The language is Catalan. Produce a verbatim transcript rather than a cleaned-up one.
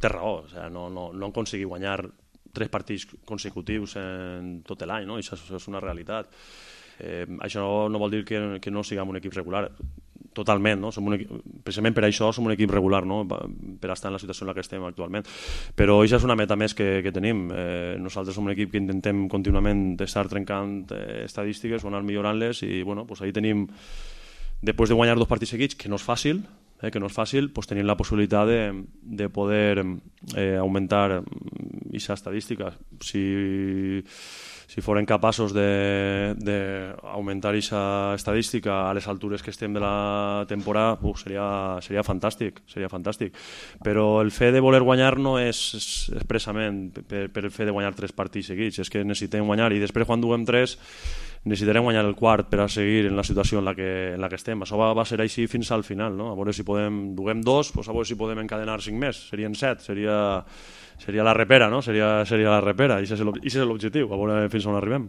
té raó, o sigui, no, no, no aconseguir guanyar tres partits consecutius en tot l'any, no? Això és una realitat. Eh, això no vol dir que, que no siguem un equip regular, totalment, no? Som un equip, precisament per això som un equip regular, no? Per estar en la situació en la que estem actualment, però això és una meta més que, que tenim. Eh, nosaltres som un equip que intentem contínuament estar trencant eh, estadístiques o anar millorant-les i bueno, pues ahí tenim, després de guanyar dos partits seguits, que no és fàcil, Eh, que no és fàcil, pues tenim la possibilitat de, de poder eh, augmentar aquesta estadística. Si, si foren capaços d'augmentar aquesta estadística a les altures que estem de la temporada, uh, seria, seria fantàstic, seria fantàstic. Però el fet de voler guanyar no és expressament per, per el fet de guanyar tres partits seguits, és que necessitem guanyar i després quan duguem tres necessitarem guanyar el quart per a seguir en la situació en la que, en la que estem. Això va, va ser així fins al final, no? A veure si podem, duguem dos, pues a veure si podem encadenar cinc més, serien set, seria, seria la repera, no? Seria, seria la repera, i aquest és l'objectiu, a veure fins on arribem.